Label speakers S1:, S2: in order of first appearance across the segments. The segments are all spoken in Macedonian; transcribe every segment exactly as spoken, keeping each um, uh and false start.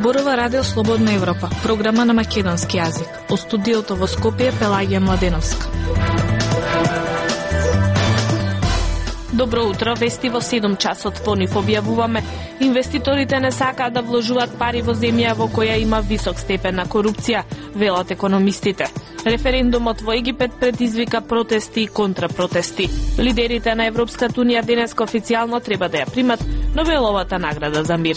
S1: Зборува Радио Слободна Европа, програма на македонски јазик. Од студиото во Скопје Пелагија Младеновска. Добро утро, вести во седум часот по нив објавуваме. Инвеститорите не сакаат да вложуваат пари во земја во која има висок степен на корупција, велат економистите. Референдумот во Египет предизвика протести и контрапротести. Лидерите на Европската унија денеска официјално треба да ја примат Нобеловата награда за мир.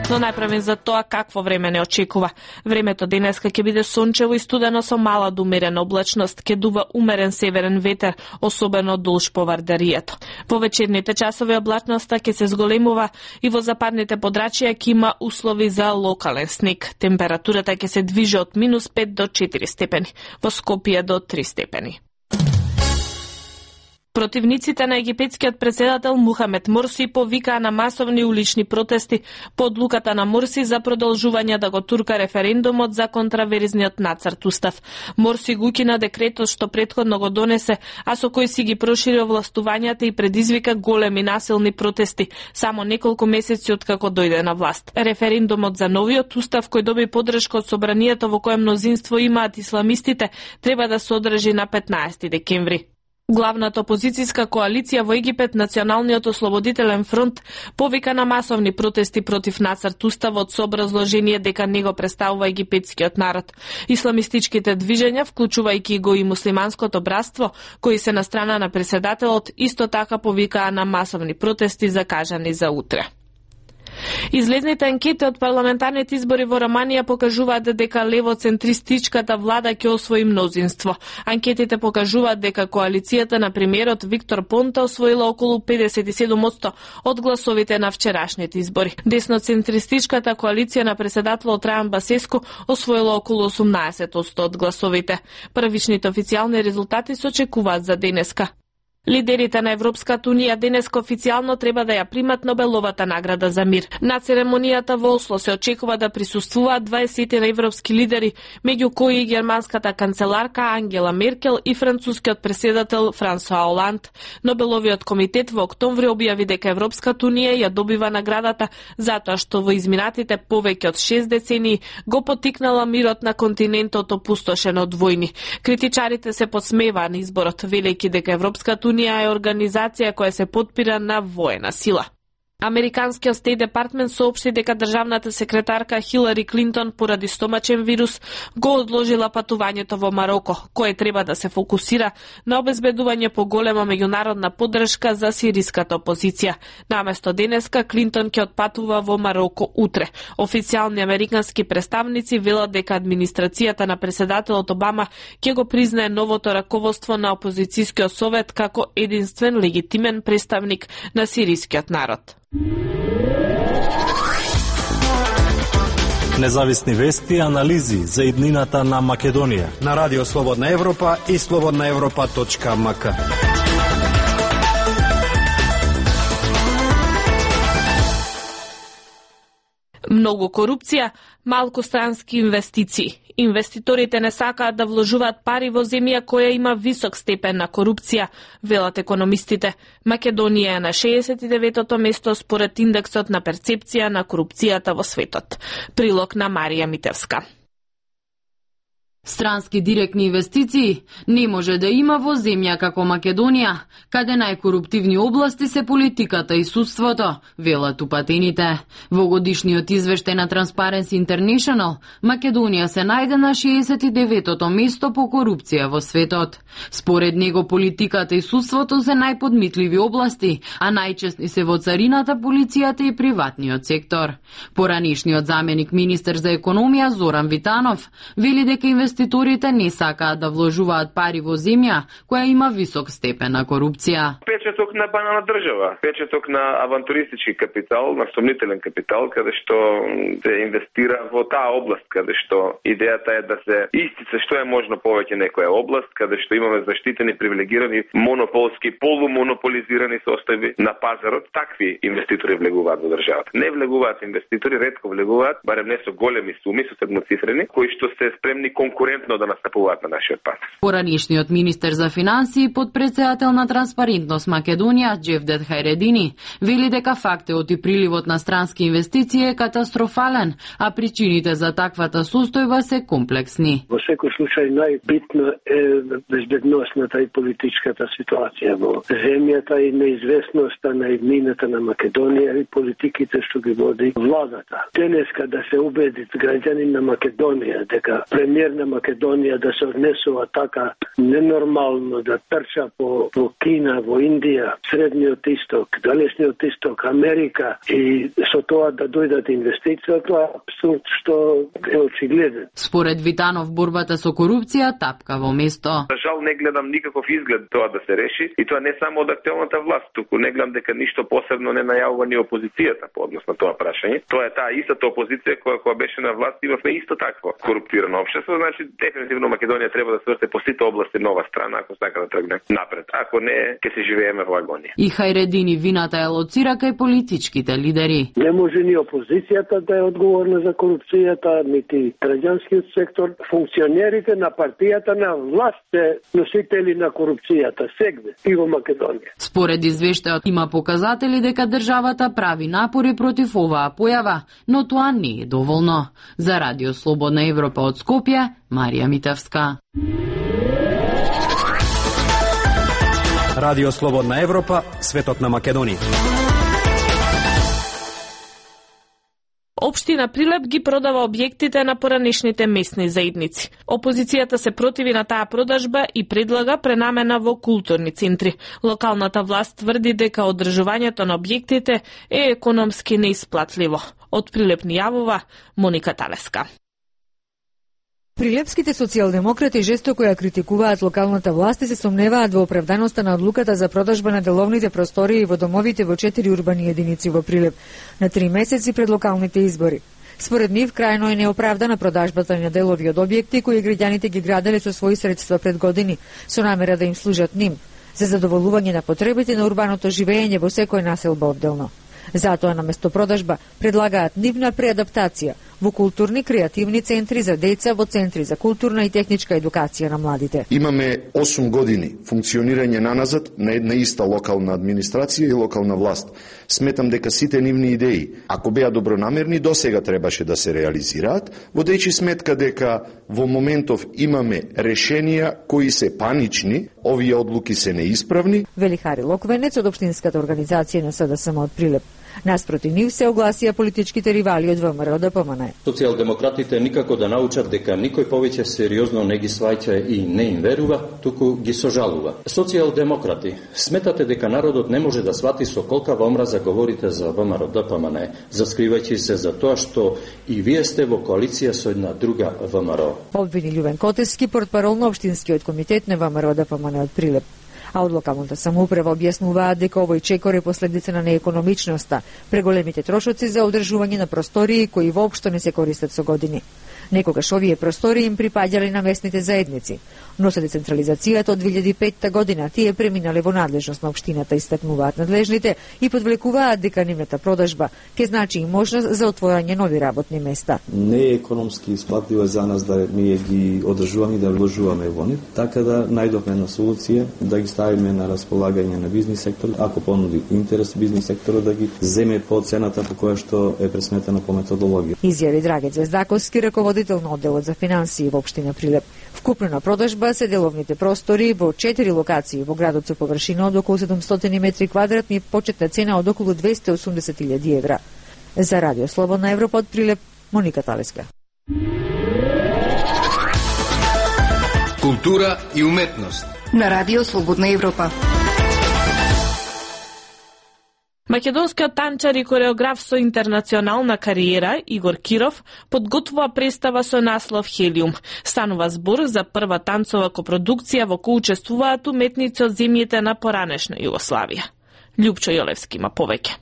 S1: Но најпрвен за тоа какво време не очекува. Времето денеска ќе биде сончево и студено со мала до умерена облачност, ќе дува умерен северен ветер, особено долж по Вардаријето. Во вечерните часови облачноста ќе се зголемува и во западните подрачја ќе има услови за локален снег. Температурата ќе се движи од минус пет до четири степени, во Скопје до три степени. Противниците на египетскиот претседател Мухамед Морси повикаа на масовни улични протести по одлуката на Морси за продолжување да го турка референдумот за контраверзниот нацрт устав. Морси го укина декретот што претходно го донесе, а со кој си ги прошири овластувањата и предизвика големи насилни протести само неколку месеци откако дојде на власт. Референдумот за новиот устав, кој доби поддршка од собранието во кое мнозинство имаат исламистите, треба да се одржи на петнаесети декември. Главната опозицијска коалиција во Египет, Националниот ослободителен фронт, повика на масовни протести против нацрт уставот со образложение дека не го представува египетскиот народ. Исламистичките движења, вклучувајќи го и муслиманското братство, кои се на страна на претседателот, исто така повикаа на масовни протести закажани за утре. Излезните анкети од парламентарните избори во Романија покажуваат дека левоцентристичката влада ќе освои мнозинство. Анкетите покажуваат дека коалицијата на премиерот Виктор Понта освоила околу педесет и седум одсто од гласовите на вчерашните избори. Десноцентристичката коалиција на претседателот Трајан Басеску освоила околу осумнаесет одсто од гласовите. Првичните официјални резултати се очекуваат за денеска. Лидерите на Европската унија денеска официјално треба да ја примат Нобеловата награда за мир. На церемонијата во Осло се очекува да присуствуваат дваесет европски лидери, меѓу кои и германската канцеларка Ангела Меркел и францускиот претседател Франсуа Оланд. Нобеловиот комитет во октомври објави дека Европската унија ја добива наградата затоа што во изминатите повеќе од шест децении го поттикнала мирот на континентот опустошен од војни. Критичарите се подсмеваа на изборот, велејќи дека Европската Унија е организација која се потпира на воена сила. Американскиот Стейт Департмент соопшти дека државната секретарка Хилари Клинтон поради стомачен вирус го одложила патувањето во Мароко, кое треба да се фокусира на обезбедување поголема меѓународна поддршка за сириската опозиција. Наместо денеска Клинтон ќе отпатува во Мароко утре. Официјални американски представници велат дека администрацијата на претседателот Обама ќе го признае новото раководство на опозицијскиот совет како единствен легитимен представник на сирискиот народ.
S2: Независни вести и анализи за иднината на Македонија
S3: на Радио Слободна Европа и слободна европа точка ем ка.
S1: Многу корупција, малку странски инвестиции. Инвеститорите не сакаат да вложуваат пари во земја која има висок степен на корупција, велат економистите. Македонија е на шеесет и деветото место според индексот на перцепција на корупцијата во светот. Прилог на Марија Митевска.
S4: Странски директни инвестиции не може да има во земја како Македонија, каде најкоруптивни области се политиката и судството, велат упатените. Во годишниот извештај на Transparency International, Македонија се најде на шеесет и деветото место по корупција во светот. Според него политиката и судството се најподмитливи области, а најчесни се во царината, полицијата и приватниот сектор. Поранишниот заменик министер за економија Зоран Витанов вели дека инвеститорите не сакаат да вложуваат пари во земја која има висок степен на корупција.
S5: Печаток на банана држава, печаток на авантуристички капитал, на сомнителен капитал, каде што се инвестира во таа област, каде што идејата е да се истица што е можно повеќе некоја област, каде што имаме заштитени, привилегирани, монополски, полумонополизирани состави на пазарот. Такви инвеститори влегуваат во државата. Не влегуваат инвеститори, ретко влегуваат, барем не со големи суми, со седмоцифрени, кои што се спремни конкуренти конкурентно да настапуваат на нашиот пат.
S4: Поранишниот министер за финансии, подпредседател на Транспарентност Македонија, Джевдет Хајредини, вели дека фактот и приливот на странски инвестиции е катастрофален, а причините за таквата состојба се комплексни.
S6: Во секој случај најбитно е безбедносната и политичката ситуација во земјата и неизвестноста на иднината на Македонија и политиките што ги води владата. Денеска да се убеди граѓанин на Македонија дека премиер на Македонија да се однесува така ненормално, да трча по, по Кина, во Индија, Средниот Исток, Далечниот Исток, Америка и со тоа да дојдат инвестиции, тоа е абсурд што е очигледен.
S4: Според Витанов, борбата со корупција тапка во место.
S5: За жал не гледам никаков изглед тоа да се реши и тоа не само од актуелната власт, туку не гледам дека ништо посебно не најавува ни опозицијата по однос на тоа прашање. Тоа е таа истата опозиција која која беше на власт, имавме исто такво коруптирано општество, значи дефинитивно Македонија треба да се врте по сите области нова страна ако сака да тргне напред. Ако не, ќе се живееме во агонија.
S4: И Хајредини вината е лоцира кај политичките лидери.
S6: Не може ни опозицијата да е одговорна за корупцијата, нити граѓанскиот сектор. Функционерите на партијата на власт се носители на корупцијата сегде и во Македонија.
S4: Според извештајот има показатели дека државата прави напори против оваа појава, но тоа не е доволно. За Радио Слободна Европа од Скопје, Марија Митевска.
S3: Радио Слободна Европа, светот на Македонија.
S1: Општина Прилеп ги продава објектите на поранишните местни заедници. Опозицијата се противи на таа продажба и предлага пренамена во културни центри. Локалната власт тврди дека одржувањето на објектите е економски неисплатливо. Од Прилеп ни јавува Моника Талеска.
S7: Прилепските социјалдемократи жестоко ја критикуваат локалната власт и се сомневаат во оправданоста на одлуката за продажба на деловните простории во домовите во четири урбани единици во Прилеп на три месеци пред локалните избори. Според нив, крајно е неоправдана продажбата на делови од објекти кои граѓаните ги граделе со своји средства пред години, со намера да им служат ним, за задоволување на потребите на урбаното живење во секој населба одделно. Затоа наместо продажба предлагаат нивна преадаптација во културни креативни центри за деца, во центри за културна и техничка едукација на младите.
S8: Имаме осум години функционирање наназад на една иста локална администрација и локална власт. Сметам дека сите нивни идеи, ако беа добронамерни, досега требаше да се реализираат, водејќи сметка дека во моментов имаме решенија кои се панични, овие одлуки се неисправни.
S7: Вели Хари Локвенец од Општинската организација на СДСМ од Прилеп. Наспроти нив се огласија политичките ривали од ВМРО Д П М Н.
S9: Социјалдемократите никако да научат дека никој повеќе сериозно не ги сваќа и не им верува, туку ги сожалува. Социјалдемократи, сметате дека народот не може да свати со колкава омраза говорите за ВМРО Д П М Н, заскривајќи се за тоа што и вие сте во коалиција со една друга ВМРО.
S7: Обвини Љубен Котески, портпарол на Општинскиот комитет на ВМРО Д П М Н од Прилеп. А од локалната самоуправа објаснуваат дека овој чекор е последица на неекономичноста, преголемите трошоци за одржување на простории кои воопшто не се користат со години. Некогаш овие простории им припаѓале на местните заедници, но со децентрализацијата од две илјади и петта година тие преминале во надлежност на општината, истакнуваат надлежните и подвлекуваат дека нивната продажба ќе значи и можност за отворање нови работни места.
S10: Не е економски исплатливо за нас да ние ги одржуваме и да вложуваме во нив, така да најдовме една солуција да ги ставиме на располагање на бизнис сектор, ако понуди интерес бизнис секторот да ги земе по цената по која што е пресметена по методологија.
S7: Изјави Драгет Звездаковски, раководител на одделот за финансии во општина Прилеп. Вкупна продажба се деловните простори во четири локации во градот со површина од околу седумстотини метри квадратни, почетна цена од околу двесте и осумдесет илјади евра. За Радио Слободна Европа од Прилеп, Моника Талеска.
S11: Култура и уметност
S12: на Радио Слободна Европа.
S1: Македонскиот танчар и кореограф со интернационална кариера Игор Киров подготвува представа со наслов Хелиум. Станува збор за прва танцова копродукција во која учествуваат уметници од земјите на поранешна Југославија. Љупчо Јолевски има повеќе.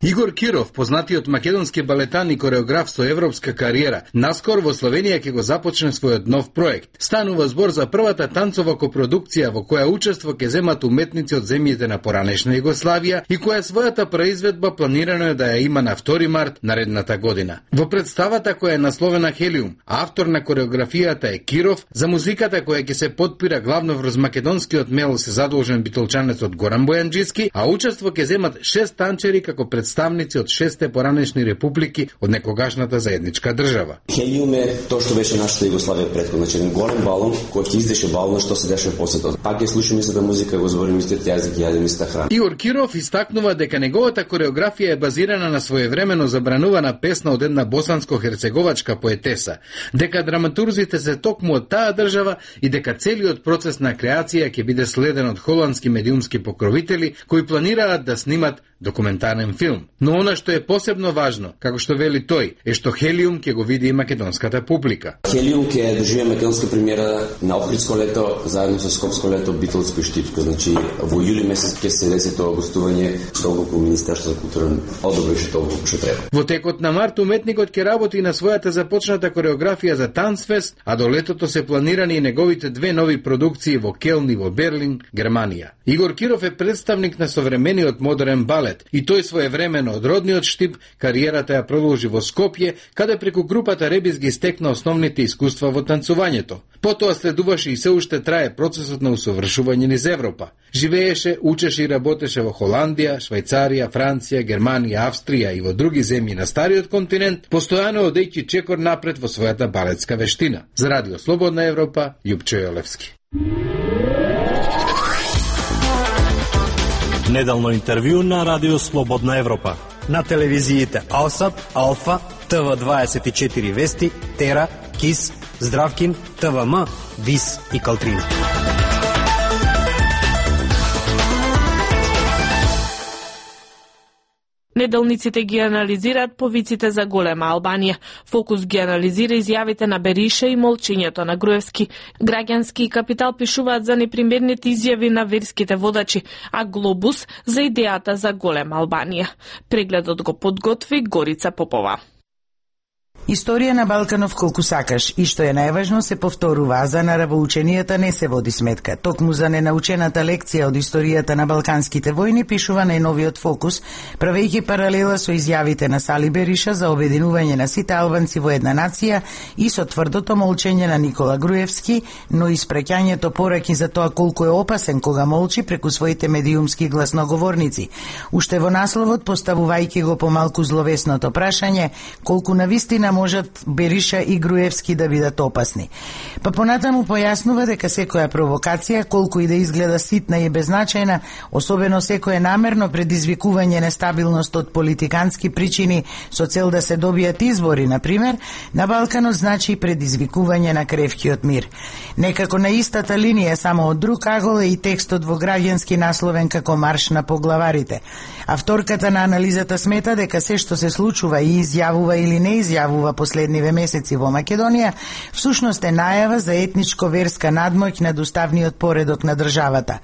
S11: Игор Киров, познатиот македонски балетан и кореограф со европска кариера, наскоро во Словенија ќе го започне својот нов проект. Станува збор за првата танцова копродукција во која учество ќе земат уметници од земјите на поранешна Југославија и која својата произведба планирано е да ја има на втори март наредната година. Во представата која е насловена Хелиум, автор на кореографијата е Киров, за музиката која ќе се потпира главно врз македонскиот мел се задолжен битолчанецот Горан Бојанџиски, а учество ќе земат шест танчери како представници од шесте поранешни републики од некогашната заедничка држава.
S13: Хелиум е тоа што беше нашата Југославија претходно, значи еден голем балон кој ќе издеше балон што се дешава после тоа. Пак ќе слушаме истата музика, го зборим истиот јазик, јадеме иста храна.
S11: Игор Киров истакнува дека неговата кореографија е базирана на своевремено забранувана песна од една босанско-херцеговачка поетеса, дека драматурзите се токму од таа држава и дека целиот процес на креација ќе биде следен од холандски медиумски покровители кои планираат да снимат документарен филм. Но она што е посебно важно, како што вели тој, е што Хелиум ќе го види и македонската публика.
S13: Хелиум ќе држи македонска премиера на Охридско лето заедно со Скопско лето Битолско и Штипско. Значи во јули месец ќе се деси тоа гостување толку Министерство за култура одобри што толку што треба.
S11: Во текот на март уметникот ќе работи на својата започната кореографија за Танцфест, а до летото се планирани и неговите две нови продукции во Келн и во Берлин, Германија. Игор Киров е представник на современиот модерен балет и тој своевремено од родниот Штип кариерата ја продолжи во Скопје, каде преку групата Ребис ги стекна основните искуства во танцувањето. Потоа следуваше и се уште трае процесот на усовршување низ Европа. Живееше, учеше и работеше во Холандија, Швајцарија, Франција, Германија, Австрија и во други земји на стариот континент, постојано одејќи чекор напред во својата балетска вештина. За Радио Слободна Европа, Љупчо Јолевски.
S2: Неделно интервју на Радио Слободна Европа.
S3: На телевизиите Алсат, Алфа, Т В дваесет и четири Вести, Тера, Кис, Здравкин, Т В М, Вис и Калтрина.
S1: Неделниците ги анализираат повиците за голема Албанија. Фокус ги анализира изјавите на Бериша и молчењето на Груевски. Граѓански и Капитал пишуваат за непримерните изјави на верските водачи, а Глобус за идејата за голема Албанија. Прегледот го подготви Горица Попова.
S14: Историја на Балканов колку сакаш и што е најважно се повторува, а за наравоученијата не се води сметка. Токму за ненаучената лекција од историјата на балканските војни пишува најновиот фокус, правејќи паралела со изјавите на Сали Бериша за обединување на сите албанци во една нација и со тврдото молчење на Никола Груевски, но и спреќањето пораки за тоа колку е опасен кога молчи преку своите медиумски гласноговорници. Уште во насловот поставувајќи го помалку зловесното прашање колку навистина можат Бериша и Груевски да бидат опасни. Па понатаму појаснува дека секоја провокација, колку и да изгледа ситна и беззначајна, особено секое намерно предизвикување нестабилност од политикански причини со цел да се добијат избори, например, на Балканот значи предизвикување на кревкиот мир. Некако на истата линија, само од друг агол е и текстот во Граѓански насловен како Марш на поглаварите. Авторката на анализата смета дека се што се случува и изјавува или не изјавува последниве месеци во Македонија, всушност е најава за етничко-верска надмоќ над уставниот поредок на државата.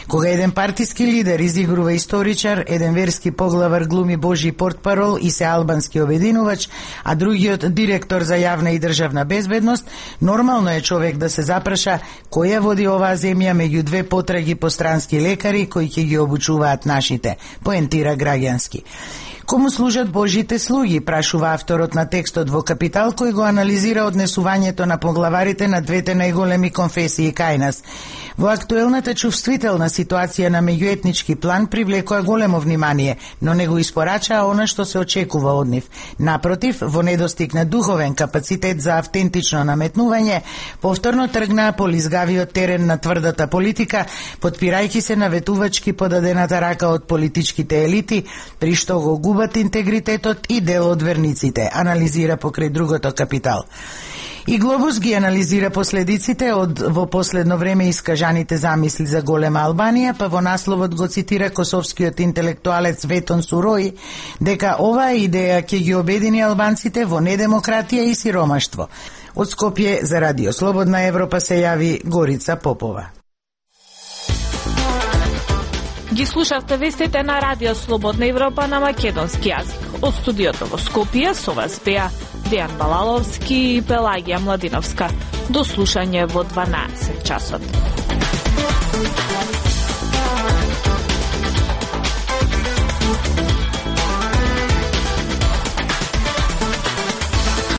S14: Кога еден партиски лидер изигрува историчар, еден верски поглавар глуми божи портпарол и се албански обединувач, а другиот директор за јавна и државна безбедност, нормално е човек да се запраша која води оваа земја меѓу две потраги по странски лекари кои ќе ги обучуваат нашите, поентира Граѓански. Кому служат Божите слуги, прашува авторот на текстот во Капитал, кој го анализира однесувањето на поглаварите на двете најголеми конфесии кај нас. Во актуелната чувствителна ситуација на меѓуетнички план привлекоа големо внимание, но не го испорачаа она што се очекува од нив. Напротив, во недостиг на духовен капацитет за автентично наметнување, повторно тргнаа по лизгавиот терен на тврдата политика, потпирајќи се на ветувачки подадената рака од политичките елити, при што го губат интегритетот и дел од верниците, анализира покрај другото Капитал. И Глобус ги анализира последиците од во последно време искажаните замисли за голема Албанија, па во насловот го цитира косовскиот интелектуалец Ветон Сурои дека оваа идеја ќе ги обедини албанците во недемократија и сиромаштво. Од Скопје за Радио Слободна Европа се јави Горица Попова.
S1: Ги слушавте вестите на Радио Слободна Европа на македонски јазик. Од студиото во Скопје со вас беа Дејан Балаловски и Пелагија Младиновска. До слушање во дванаесет часот.